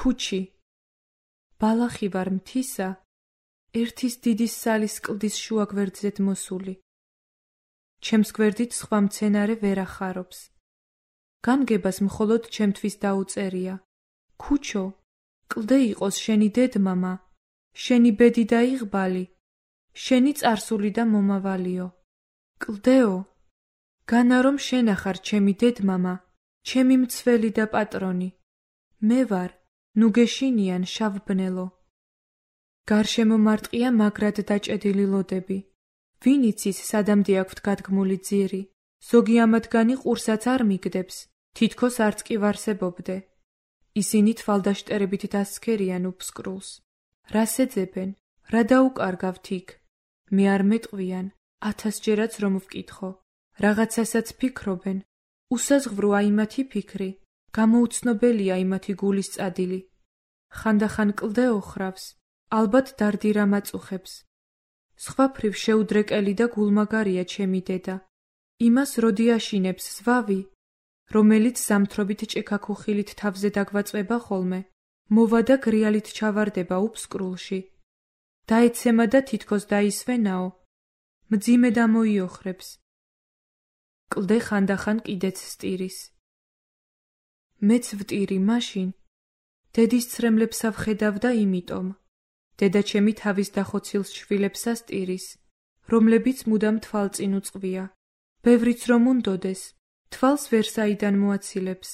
ქუჩი. ბალახი ვარ მთისა, ერთის დიდი სალის კლდის შუა გვერდზედ მოსული. ჩემს გვერდით სხვა მცენარე ვერ ახარობს. განგებას მხოლოდ ჩემთვის დაუწერია. ქუჩო, კლდე იყოს შენი დედმამა, შენი ბედი და იღბალი, შენი წარსული და მომავალიო. კლდეო, განა რომ შენ ახარ ჩემი დედმამა, ჩემი მცველი და პატრონი. მე ვარ, ნუ გეშინიან შავბნელო. გარშემო მარტყია მაგრად დაჭედილი ლოდები. ვინ იცის სადამდე აქვთ გადგმული ძირი, ზოგი ამათგანი ყურსაც არ მიგდებს, თითქოს არც კი ვარსებობდე. ისინი თვალდაშტერებით დასცქერიან უფსკრულს. რას ეძებენ, რა დაუკარგავთ იქ? მე არ მეტყვიან, 1000-ჯერაც რომ ვკითხო. რაღაცასაც ფიქრობენ, უსაზღვროა იმათი ფიქრი, გამოუცნობელია იმათი გულის წადილი. ხანდახან კლდე ოხრავს, ალბათ დარდირა მაწუხებს. სხვაფრივ შეუდრეკელი და გულმაგარია ჩემი დედა. იმას როდი აშინებს ზვავი, რომელიც ზამთრობით ჭექაქუხილით თავზე დაგვაწვება ხოლმე, მოვა და გრიალით ჩავარდება უფსკრულში. დაეცემა და თითქოს დაისვენაო, მძიმე დამოიოხრებს. კლდე ხანდახან კიდეც სტირის. მეც ვტირი მაშინ, დედის ცრემლებსა ვხედავ და იმიტომ. დედა ჩემი თავის დახოცილს შვილებსა სტირის, რომლებიც მუდამ თვალწინ უწყვია. ბევრიც რომ უნდოდეს, თვალს ვერ საიდან მოაცილებს.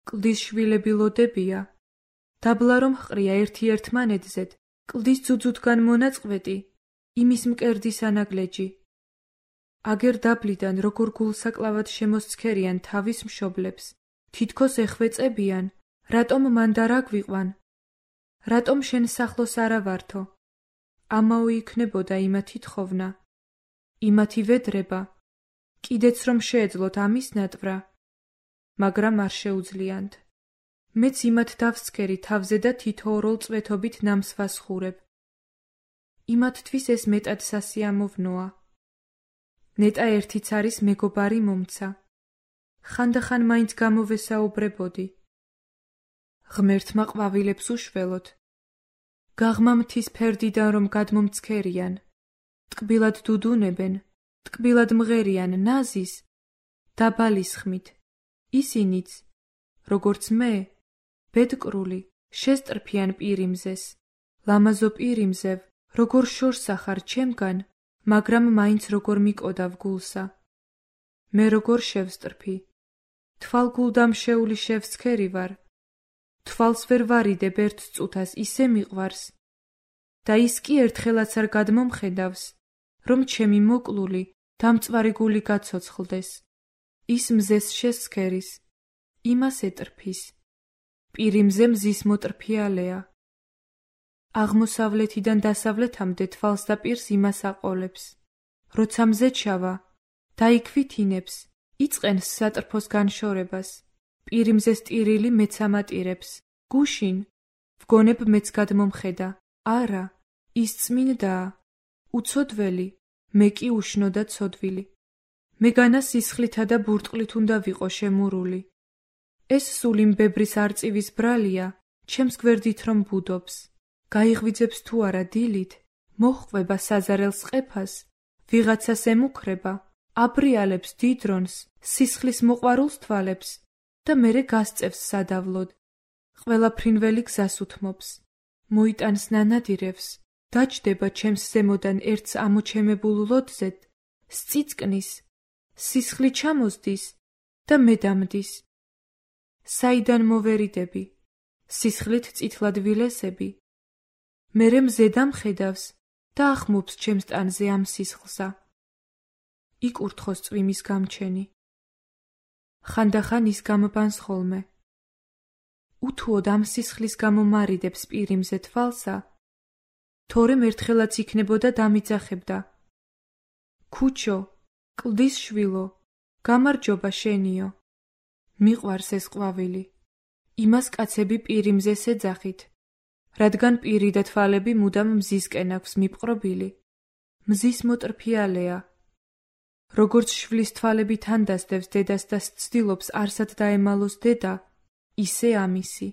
კლდის შვილები ლოდებია. დაბლა რომ ჰყრია ერთი-ერთმანეთზედ, კლდის ძუძუდგან მონაწყვეტი, იმის მკერდის ანაგლეჯი. აგერ დაბლიდან როგორ გულსაკლავად შემოსცქერიან თავის მშობლებს, თითქოს ეხვეწებიან, რატომ მან და რა გვიყვან? რატომ შენ სახლოს არა ვართო? ამაო იქნებოდა იმათი თხოვნა, იმათი ვედრება, კიდეც რომ შეეძლოთ ამის ნატვრა, მაგრამ არ შეუძლიანდ. მეც იმათ დავსცქერი თავზე და თითოეულ წვეთობით ნამს ვასხურებ. იმათთვის ეს მეტად სასიამოვნოა. ნეტა ერთიც არის მეგობარი მომცა. ხანდახან მაინც გამოვესაუბრებოდი. ღმერთმა ყვავილებს უშველოთ. გაღმა მთის ფერდიდან რომ გადმომცქერიან, ტკბილად დუდუნებენ, ტკბილად მღერიან ნაზის, დაბალის ხმით. ისინიც, როგორც მე, ბედკრული, შესტრფიან პირიმზეს. ლამაზო პირიმზევ, როგორ შორს ახარ ჩემგან, მაგრამ მაინც როგორ მიკოდავ გულსა. მე როგორ შევსტრფი, თვალგულდამშეული შევსქერი ვარ. თვალს ვერ ვარიდებ ერთ წუთას, ისე მიყვარს. და ის კი ერთხელაც არ გადმომხედავს, რომ ჩემი მოკლული, დამწვარი გული გაცოცხლდეს. ის მზეს შესცქერის, იმას ეტრფის. პირიმზე მზის მოტრფიალეა. აღმოსავლეთიდან დასავლეთამდე თვალს და პირს იმას აყოლებს. როცა მზე ჩავა, დაიქვითინებს, იწყენს სატრფოს განშორებას. პირიმზე სტირილი მეც ამატირებს. გუშინ, ვგონებ მეც გადმომხედა. არა, ის წმინდაა. უცოდველი, მე კი უშნო და ცოდვილი. მეგანა სისხლითა და ბურტყლით უნდა ვიყო შემურული. ეს სული მბებრის არწივის ბრალია, ჩემს გვერდით რომ ბუდობს. გაიღვიძებს თუ არა დილით, მოჰყვება საზარელს ყეფას, ვიღაცას ემუქრება, აბრიალებს დიდრონს, სისხლის მოყვარულს თვალებს და მერე გასწევს სადავლოდ. ყველა ფრინველი გზას უთმობს, მოიტანს ნანადირევს, დაჯდება ჩემს ზემოდან ერთს ამოჩემებულ ლოდზედ, სწიწკნის, სისხლი ჩამოსდის და მე დამდის. საიდან მოვერიდები, სისხლით წითლად ვილესები. მერე მზე დამხედავს და ახმობს ჩემს ტანზე ამ სისხლსა. იკურთხოს წვიმის გამჩენი. ხანდახან ის გამბანს ხოლმე. უთუოდ ამ სისხლის გამო მარიდებს პირიმზე თვალსა, თორემ ერთხელაც იქნებოდა დამიძახებდა. ქუჩო, კლდის შვილო, გამარჯობა შენიო. მიყვარს ეს ყვავილი. იმას კაცები პირიმზეს ეძახით, რადგან პირი და თვალები მუდამ მზისკენ აქვს მიპყრობილი. მზის მოტრფიალეა. როგორც შვილის თვალები თან დასდევს დედას და სცდილობს არსად დაემალოს დედა, ისე ამისი.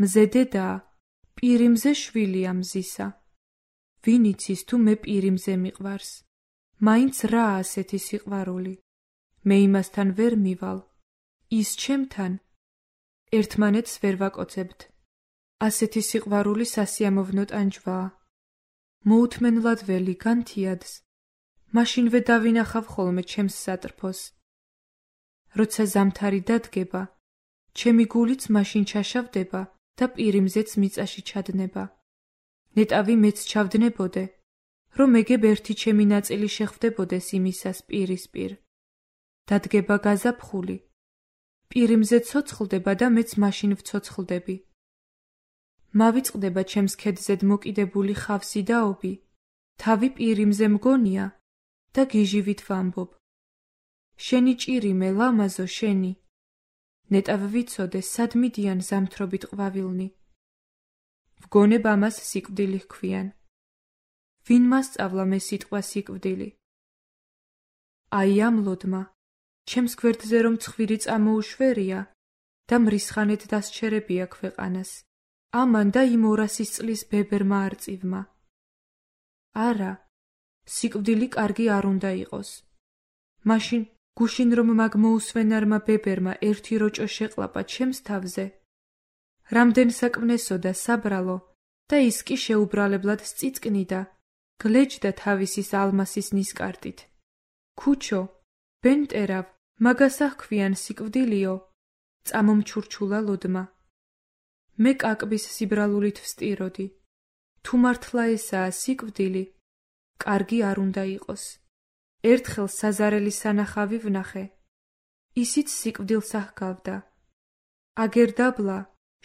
მზე დედაა, პირიმზე შვილია მზისა. ვინ იცის თუ მე პირიმზე მიყვარს, მაინც რა ასეთი სიყვარული. მე იმასთან ვერ მივალ, ის ჩემთან, ერთმანეთს ვერ ვაკოცებთ. ასეთი სიყვარული სასიამოვნო ტანჯვაა. მოუთმენლად ველი განთიადს, მაშინვე დავინახავ ხოლმე ჩემს სატრფოს. როცა ზამთარი დადგება, ჩემი გულიც მაშინ ჩაშავდება და პირიმზეც მიწაში ჩადნება. ნეტავი მეც ჩავდნებოდე, რომ მეგებ ერთი ჩემი ნაწილი შეხვდებოდეს იმისას პირისპირ. დადგება გაზაფხული, პირიმზე ცოცხლდება და მეც მაშინ ვცოცხლდები. მავიწყდება ჩემს ქედზედ მოკიდებული ხავსი და ობი, თავი პირიმზე მგონია და გიჟივით ვამბობ. შენი ჭირიმე, ლამაზო შენი. ნეტავ ვიცოდე, სად მიდიან ზამთრობით ყვავილნი. ვგონებ ამას სიკვდილი ჰქვიან. ვინ მასწავლა მე სიტყვა სიკვდილი? აი ამ ლოდმა, ჩემს გვერდზე რომ ცხვირი წამოუშვერია და მრისხანეთ დასჩერებია ქვეყანას. ამან და იმ 200 წლის ბებერმა არწივმა. არა, სიკვდილი კარგი არ უნდა იყოს. მაშინ გუშინ რომ მაგ მოუსვენარმა ბებერმა ერთი როჭო შეყლაპა ჩემს თავზე, რამდენ საკვნესო და საბრალო და ის კი შეუბრალებლად სწიწკნიდა, გლეჯდა თავისის ალმასის ნისკარტით. ქუჩო, ბენტერავ, მაგასა ჰქვიან სიკვდილიო, წამომჩურჩულა ლოდმა. მე კაკბის სიბრალულით ვსტიროდი. თუ მართლა ესაა სიკვდილი, კარგი არ უნდა იყოს. ერთხელ საზარელი სანახავი ვნახე. ისიც სიკვდილს აჰგავდა. აგერ დაბლა,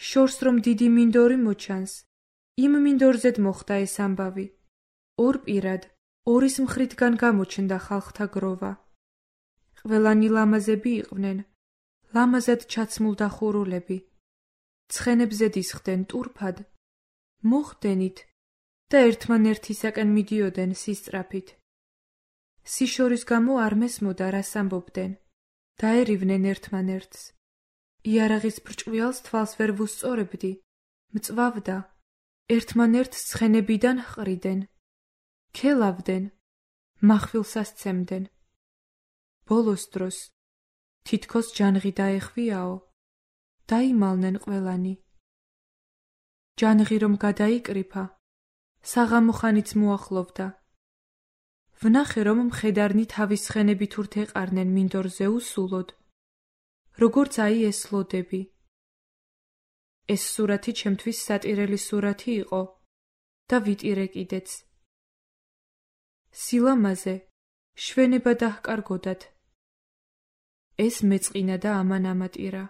შორს რომ დიდი მინდორი მოჩანს, იმ მინდორზედ მოხდა ეს ამბავი. ორ პირად, ორის მხრიდან გამოჩნდა ხალხთა გროვა. ყველანი ლამაზები იყვნენ, ლამაზად ჩაცმულდა ხურულები. ცხენებზე დისხდნენ ტურფად, მოხდენით და ერთმანერთისაკენ მიდიოდნენ სისწრაფით. სიშორის გამო არ მესმოდა, რას ამბობდნენ. დაერივნენ ერთმანერთს. იარაღის ბრჭყვიალს თვალს ვერ ვუსწორებდი, მწვავდა. ერთმანერთს ცხენებიდან ჰყრიდნენ. ქელავდნენ, მახვილსას ცემდნენ. ბოლოს დროს, თითქოს ჯანღი დაეხვიაო, დაიმალნენ ყველანი. ჯანღი რომ გადაიკრიფა, საღამო ხანიც მოახლოვდა. ვნახე რომ მხედარნი თავის ცხენებით ურთ ეყარნენ მინდორზე უსულოდ, როგორც აი ეს ლოდები. ეს სურათი ჩემთვის სატირელი სურათი იყო და ვიტირე კიდეც. სილამაზე, შვენება დაჰკარგოდათ. ეს მეწყინა და ამან ამატირა.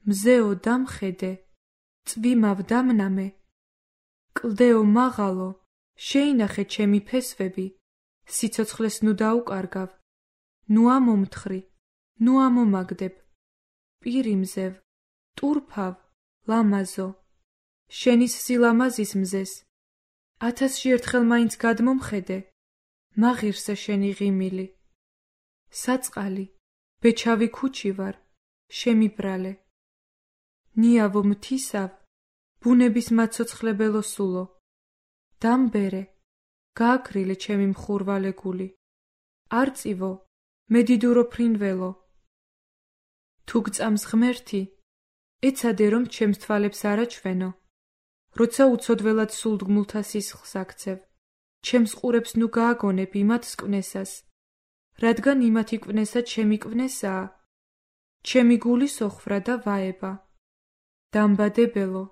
მზეო დამხედე, წვიმავ დამნამე, კლდეო მაღალო, შეინახე ჩემი ფესვები, სიცოცხლეს ნუ დაუკარგავ, ნუ ამომთხრი, ნუ ამომაგდებ, პირიმზევ, ტურფავ, ლამაზო, შენის სილამაზის მზეს, 1000-ში ერთხელ მაინც გადმომხედე, მაღირსე შენი ღიმილი. საწყალი, ბეჩავი ქუჩი ვარ, შემიბრალე. ნიავო მთისავ, ბუნების მაცოცხლებელო სულო. დამბერე, გააქრილე ჩემი მხურვალე გული. არწივო, მედიდურო ფრინველო. თუ გწამს ღმერთი, ეცადე რომ ჩემს თვალებს არ აჩვენო. როცა უცოდველად სულდგმულთა სისხლს აქცევ, ჩემს ყურებს ნუ გააგონებ იმათ სკვნესას, რადგან იმათი კვნესა ჩემი კვნესაა, ჩემი გული სოხრა და ვაება. დამბადებელო,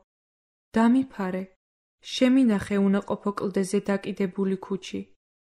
დამიფარე, შემინახე უნაყოფო კლდეზე დაკიდებული ქუჩი.